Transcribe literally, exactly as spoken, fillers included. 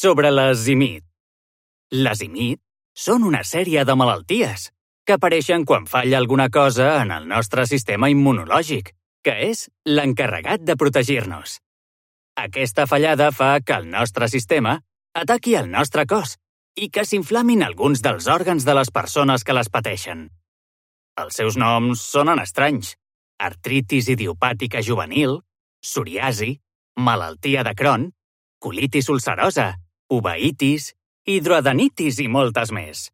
sobre les I M I T. Les I M I T són una sèrie de malalties que apareixen quan falla alguna cosa en el nostre sistema immunològic, que és l'encarregat de protegir-nos. Aquesta fallada fa que el nostre sistema ataqui el nostre cos i que s'inflamin alguns dels òrgans de les persones que les pateixen. Els seus noms sonen estranys: artritis idiopàtica juvenil, psoriasi, malaltia de Crohn, colitis ulcerosa, uveitis, hidroadenitis i moltes més.